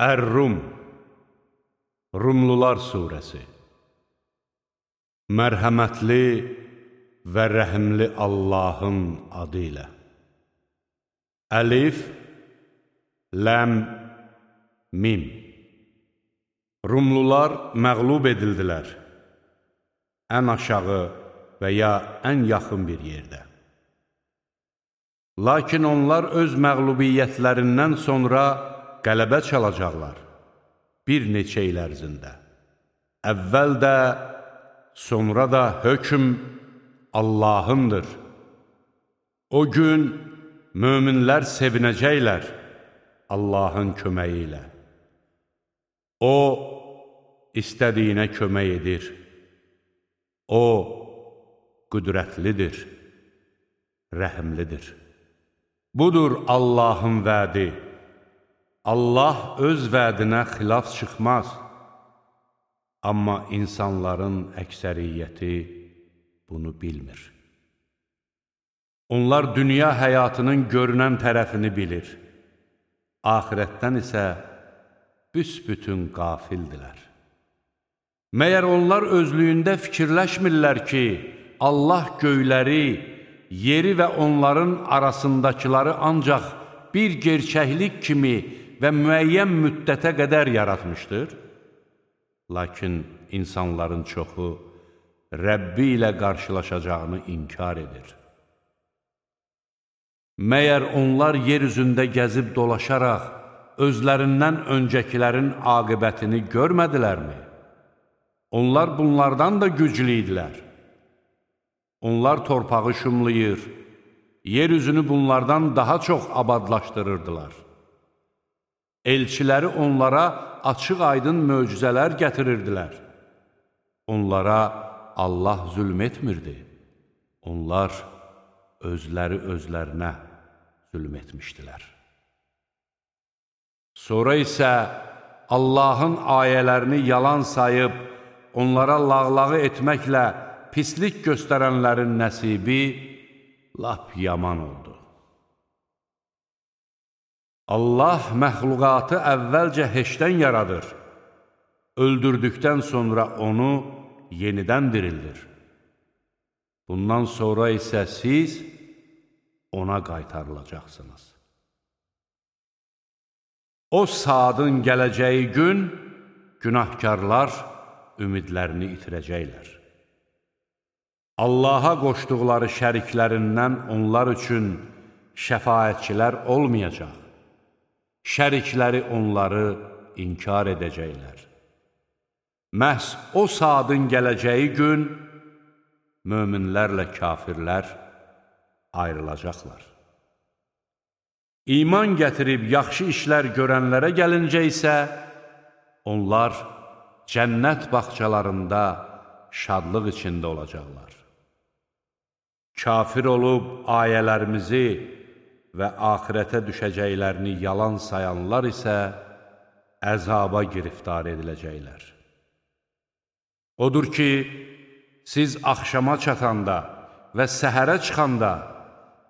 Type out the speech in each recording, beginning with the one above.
Ər-Rum, Rumlular Suresi. Mərhəmətli və rəhimli Allahın adı ilə. Əlif, Ləm, Mim. Rumlular məğlub edildilər, ən aşağı və ya ən yaxın bir yerdə. Lakin onlar öz məğlubiyyətlərindən sonra qələbə çalacaqlar bir neçə il ərzində. Əvvəl də, sonra da hökm Allahındır. O gün möminlər sevinəcəklər Allahın köməyi ilə. O, istədiyinə kömək edir. O, qüdrətlidir, rəhimlidir. Budur Allahın vədi. Allah öz vədinə xilaf çıxmaz. Amma insanların əksəriyyəti bunu bilmir. Onlar dünya həyatının görünən tərəfini bilir. Axirətdən isə büsbütün qafildilər. Məyər onlar özlüyündə fikirləşmirlər ki, Allah göyləri, yeri və onların arasındakıları ancaq bir gerçəklik kimi və müəyyən müddətə qədər yaratmışdır? Lakin insanların çoxu Rəbbi ilə qarşılaşacağını inkar edir. Məyər onlar yer üzündə gəzib dolaşaraq özlərindən öncəkilərin aqibətini görmədilərmi? Onlar bunlardan da güclü idilər. Onlar torpağı şumlayır, yer üzünü bunlardan daha çox abadlaşdırırdılar. Elçiləri onlara açıq-aydın möcüzələr gətirirdilər. Onlara Allah zülm etmirdi. Onlar özləri özlərinə zülm etmişdilər. Sonra isə Allahın ayələrini yalan sayıb, onlara lağlağı etməklə pislik göstərənlərin nəsibi lap yaman oldu. Allah məxluqatı əvvəlcə heçdən yaradır, öldürdükdən sonra onu yenidən dirildir. Bundan sonra isə siz ona qaytarılacaqsınız. O saatın gələcəyi gün günahkarlar ümidlərini itirəcəklər. Allaha qoşduqları şəriklərindən onlar üçün şəfaətçilər olmayacaq. Şərikləri onları inkar edəcəklər. Məhz o saatın gələcəyi gün möminlərlə kafirlər ayrılacaqlar. İman gətirib yaxşı işlər görənlərə gəlincə isə onlar cənnət bağçalarında şadlıq içində olacaqlar. Kafir olub ayələrimizi və axirətə düşəcəklərini yalan sayanlar isə əzaba giriftar ediləcəklər. Odur ki, siz axşama çatanda və səhərə çıxanda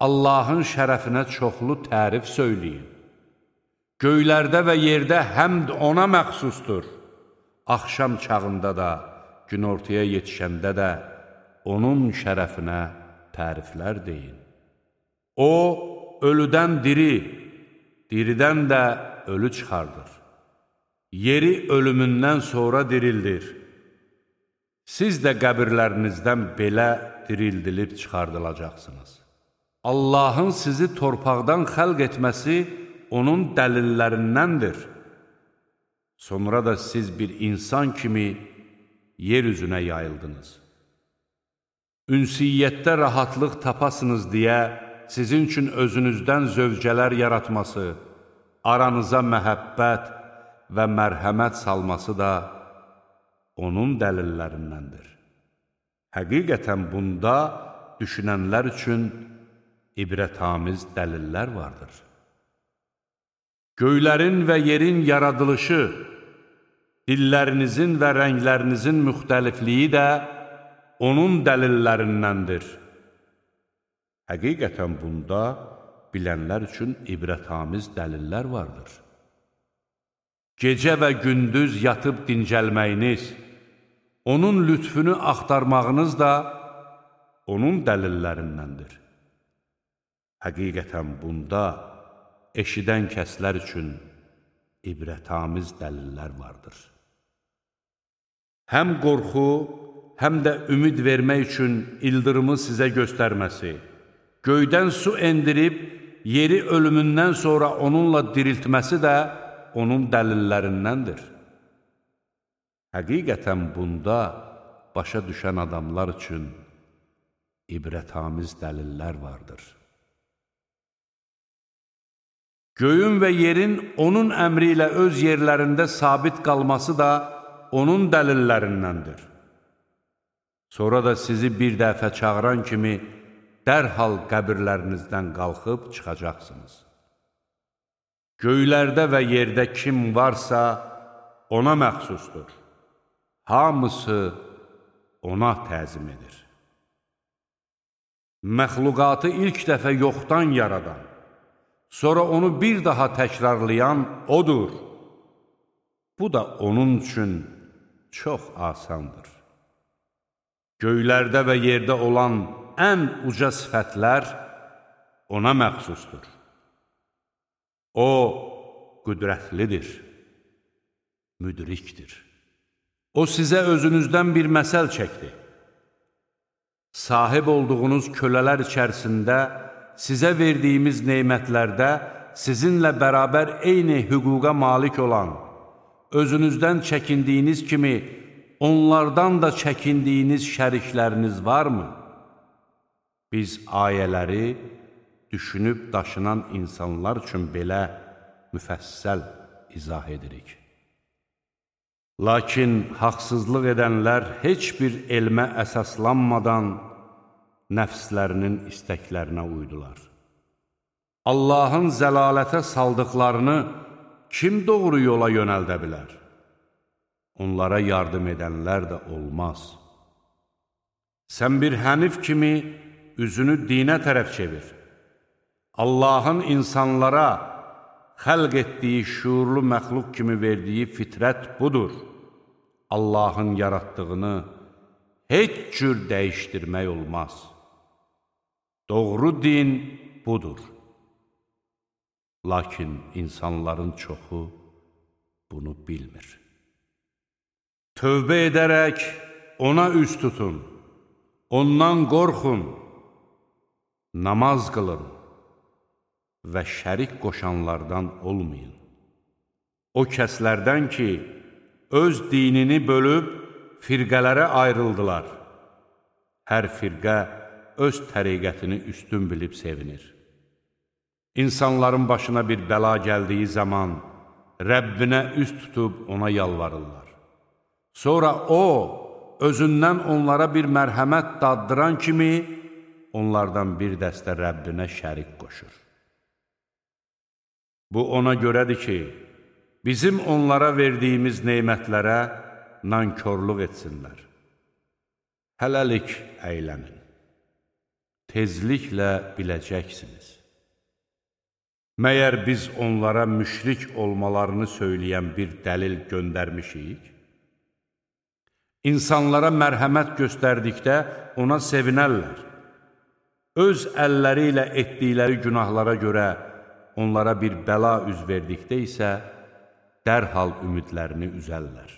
Allahın şərəfinə çoxlu tərif söyləyin. Göylərdə və yerdə həmd ona məxsusdur. Axşam çağında da, günortaya yetişəndə də onun şərəfinə təriflər deyin. O, ölüdən diri, diridən də ölü çıxardır. Yeri ölümündən sonra dirildir. Siz də qəbirlərinizdən belə dirildilib çıxardılacaqsınız. Allahın sizi torpaqdan xəlq etməsi onun dəlillərindəndir. Sonra da siz bir insan kimi yer üzünə yayıldınız. Ünsiyyətdə rahatlıq tapasınız deyə sizin üçün özünüzdən zövcələr yaratması, aranıza məhəbbət və mərhəmət salması da onun dəlillərindəndir. Həqiqətən bunda düşünənlər üçün ibrətamiz dəlillər vardır. Göylərin və yerin yaradılışı, dillərinizin və rənglərinizin müxtəlifliyi də onun dəlillərindəndir. Həqiqətən bunda bilənlər üçün ibrətamiz dəlillər vardır. gecə və gündüz yatıb dincəlməyiniz, onun lütfünü axtarmağınız da onun dəlillərindəndir. Həqiqətən bunda eşidən kəslər üçün ibrətamiz dəlillər vardır. Həm qorxu, həm də ümid vermək üçün ildırımı sizə göstərməsi, göydən su endirib, yeri ölümündən sonra onunla diriltməsi də onun dəlillərindəndir. Həqiqətən bunda başa düşən adamlar üçün ibrətamiz dəlillər vardır. Göyün və yerin onun əmri ilə öz yerlərində sabit qalması da onun dəlillərindəndir. Sonra da sizi bir dəfə çağıran kimi dərhal qəbirlərinizdən qalxıb çıxacaqsınız. Göylərdə və yerdə kim varsa ona məxsusdur. Hamısı ona təzim edir. Məxluqatı ilk dəfə yoxdan yaradan, sonra onu bir daha təkrarlayan odur. Bu da onun üçün çox asandır. Göylərdə və yerdə olan ən uca sifətlər ona məxsusdur. O, qüdrətlidir, müdrikdir. O, sizə özünüzdən bir məsəl çəkdi. Sahib olduğunuz kölələr içərisində sizə verdiyimiz neymətlərdə sizinlə bərabər eyni hüquqa malik olan, özünüzdən çəkindiyiniz kimi onlardan da çəkindiyiniz şərikləriniz varmı? Biz ayələri düşünüb daşınan insanlar üçün belə müfəssəl izah edirik. Lakin haqsızlıq edənlər heç bir elmə əsaslanmadan nəfslərinin istəklərinə uydular. Allahın zəlalətə saldıqlarını kim doğru yola yönəldə bilər? Onlara yardım edənlər də olmaz. Sən bir hənif kimi üzünü dinə tərəf çevir. Allahın insanlara xəlq etdiyi şuurlu məxluq kimi verdiyi fitrət budur. Allahın yaratdığını heç cür dəyişdirmək olmaz. Doğru din budur. Lakin insanların çoxu bunu bilmir. Tövbə edərək ona üz tutun, ondan qorxun, namaz qılın və şərik qoşanlardan olmayın. O kəslərdən ki, öz dinini bölüb firqələrə ayrıldılar. Hər firqə öz təriqətini üstün bilib sevinir. İnsanların başına bir bəla gəldiyi zaman Rəbbinə üst tutub ona yalvarırlar. Sonra o, özündən onlara bir mərhəmət daddıran kimi onlardan bir dəstə Rəbbinə şərik qoşur. Bu ona görədir ki, bizim onlara verdiyimiz neymətlərə nankörlük etsinlər. Hələlik əylənin. Tezliklə biləcəksiniz. Məyər biz onlara müşrik olmalarını söyləyən bir dəlil göndərmişik? İnsanlara mərhəmət göstərdikdə ona sevinərlər. Öz əlləri ilə etdikləri günahlara görə onlara bir bəla üz verdikdə isə dərhal ümidlərini üzərlər.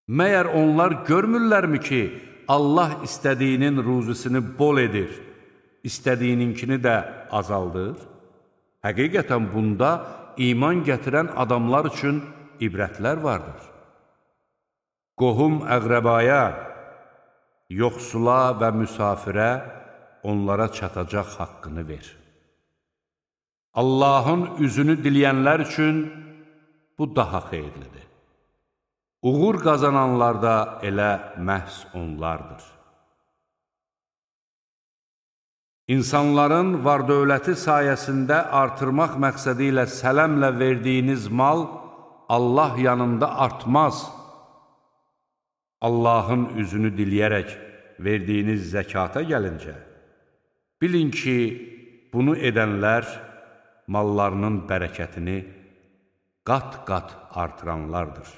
Məyər onlar görmürlərmi ki, Allah istədiyinin ruzisini bol edir, istədiyininkini də azaldır? Həqiqətən bunda iman gətirən adamlar üçün ibrətlər vardır. Qohum əqrəbaya, yoxsula və müsafirə onlara çatacaq haqqını ver. Allahın üzünü diləyənlər üçün bu daha xeyirlidir. Uğur qazananlar da elə məhz onlardır. İnsanların var-dövləti sayəsində artırmaq məqsədi ilə sələmlə verdiyiniz mal Allah yanında artmaz. Allahın üzünü diləyərək verdiyiniz zəkata gəlincə, bilin ki, bunu edənlər mallarının bərəkətini qat-qat artıranlardır.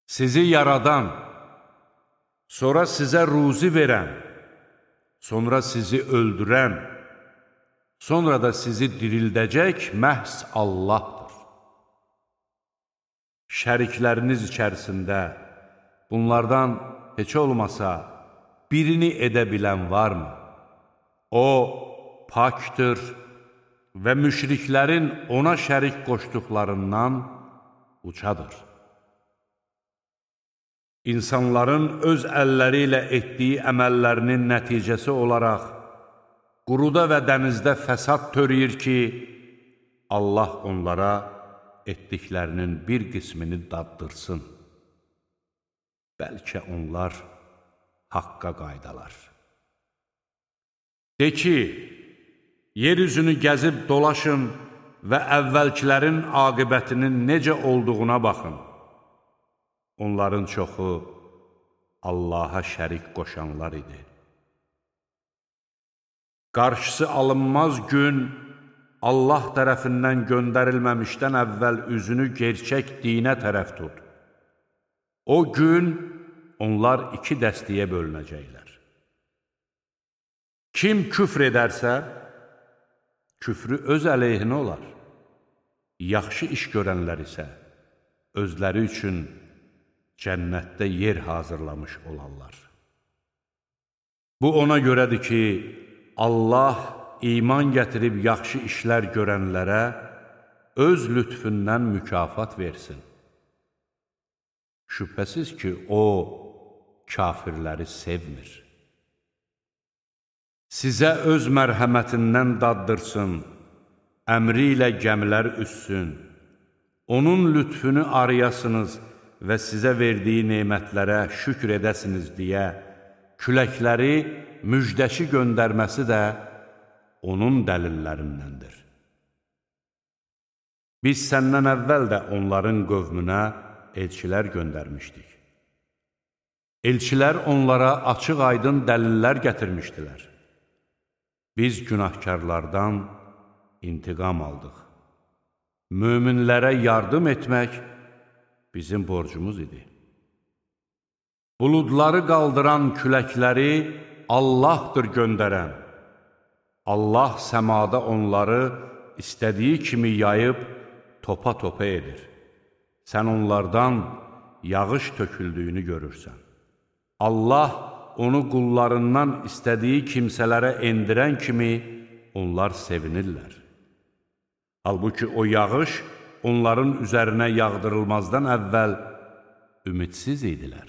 Sizi yaradan, sonra sizə ruzi verən, sonra sizi öldürən, sonra da sizi dirildəcək məhz Allahdır. Şərikləriniz içərisində bunlardan heç olmasa birini edə bilən varmı? O, pakdır və müşriklərin ona şərik qoşduqlarından ucadır. İnsanların öz əlləri ilə etdiyi əməllərinin nəticəsi olaraq quruda və dənizdə fəsad törəyir ki, Allah onlara etdiklərinin bir qismini daddırsın. Bəlkə onlar haqqa qaydalar. De ki, yeryüzünü gəzib dolaşın və əvvəlkilərin aqibətinin necə olduğuna baxın. Onların çoxu Allaha şərik qoşanlar idi. Qarşısı alınmaz gün Allah tərəfindən göndərilməmişdən əvvəl üzünü gerçək dinə tərəf tut. O gün onlar iki dəstəyə bölünəcəklər. Kim küfr edərsə, küfrü öz əleyhinə olar. Yaxşı iş görənlər isə özləri üçün cənnətdə yer hazırlamış olarlar. Bu ona görədir ki, Allah iman gətirib yaxşı işlər görənlərə öz lütfündən mükafat versin. Şübhəsiz ki, O, kafirləri sevmir. Sizə öz mərhəmətindən daddırsın, əmri ilə gəmilər üssün, onun lütfünü arayasınız və sizə verdiyi nemətlərə şükr edəsiniz deyə küləkləri müjdəçi göndərməsi də onun dəlillərindəndir. Biz səndən əvvəl də onların qövmünə elçilər göndərmişdik. Elçilər onlara açıq-aydın dəlillər gətirmişdilər. Biz günahkarlardan intiqam aldıq. Möminlərə yardım etmək bizim borcumuz idi. Buludları qaldıran küləkləri Allahdır göndərən. Allah səmada onları istədiyi kimi yayıb topa-topa edir. Sən onlardan yağış töküldüyünü görürsən. Allah onu qullarından istədiyi kimsələrə endirən kimi onlar sevinirlər. Halbuki o yağış onların üzərinə yağdırılmazdan əvvəl ümidsiz idilər.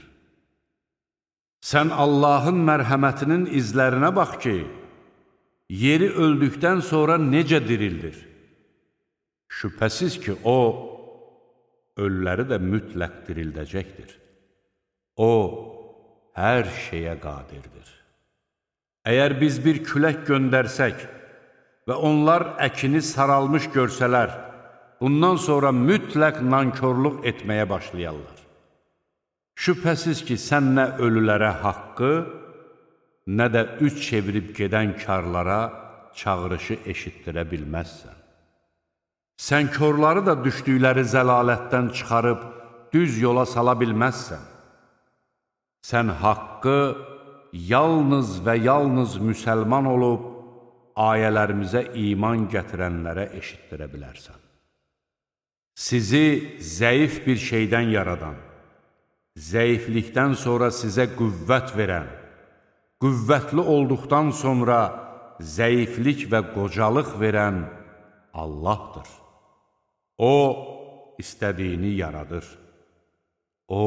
Sən Allahın mərhəmətinin izlərinə bax ki, yeri öldükdən sonra necə dirildir? Şübhəsiz ki, O, ölüləri də mütləq dirildəcəkdir. O, hər şeyə qadirdir. Əgər biz bir külək göndərsək və onlar əkini saralmış görsələr, bundan sonra mütləq nankorluq etməyə başlayarlar. Şübhəsiz ki, sən nə ölülərə haqqı, nə də üç çevirib gedən karlara çağırışı eşitdirə bilməzsən. Sən körləri də düşdükləri zəlalətdən çıxarıb düz yola sala bilməzsən. Sən haqqı yalnız və yalnız müsəlman olub, ayələrimizə iman gətirənlərə eşitdirə bilərsən. Sizi zəif bir şeydən yaradan, zəiflikdən sonra sizə qüvvət verən, qüvvətli olduqdan sonra zəiflik və qocalıq verən Allahdır. O, istədiyini yaradır. O,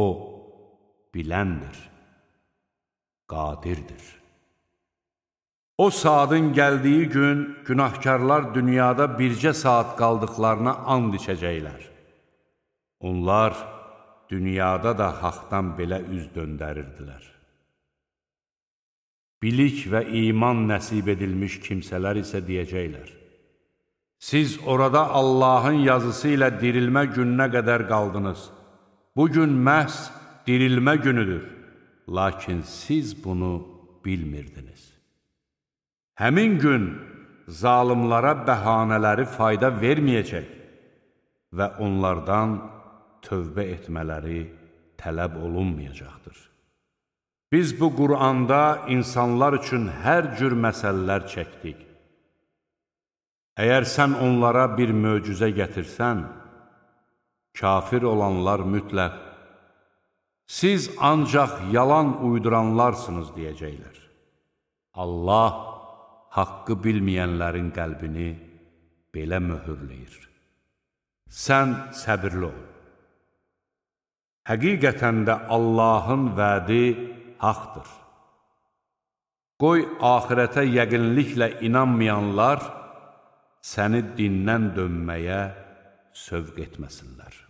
biləndir, qadirdir. O saatın gəldiyi gün günahkarlar dünyada bircə saat qaldıqlarına and içəcəklər. Onlar dünyada da haqdan belə üz döndərirdilər. Bilik və iman nəsib edilmiş kimsələr isə deyəcəklər: siz orada Allahın yazısı ilə dirilmə gününə qədər qaldınız. Bugün məhz dirilmə günüdür. Lakin siz bunu bilmirdiniz. Həmin gün zalımlara bəhanələri fayda verməyəcək. və onlardan tövbə etmələri tələb olunmayacaqdır. Biz bu Qur'anda insanlar üçün hər cür məsələlər çəkdik. Əgər sən onlara bir möcüzə gətirsən, kafir olanlar mütləq, siz ancaq yalan uyduranlarsınız deyəcəklər. Allah haqqı bilməyənlərin qəlbini belə möhürləyir. Sən səbirli ol. Həqiqətən də Allahın vədi haqdır. Qoy axirətə yəqinliklə inanmayanlar səni dindən dönməyə sövq etməsinlər.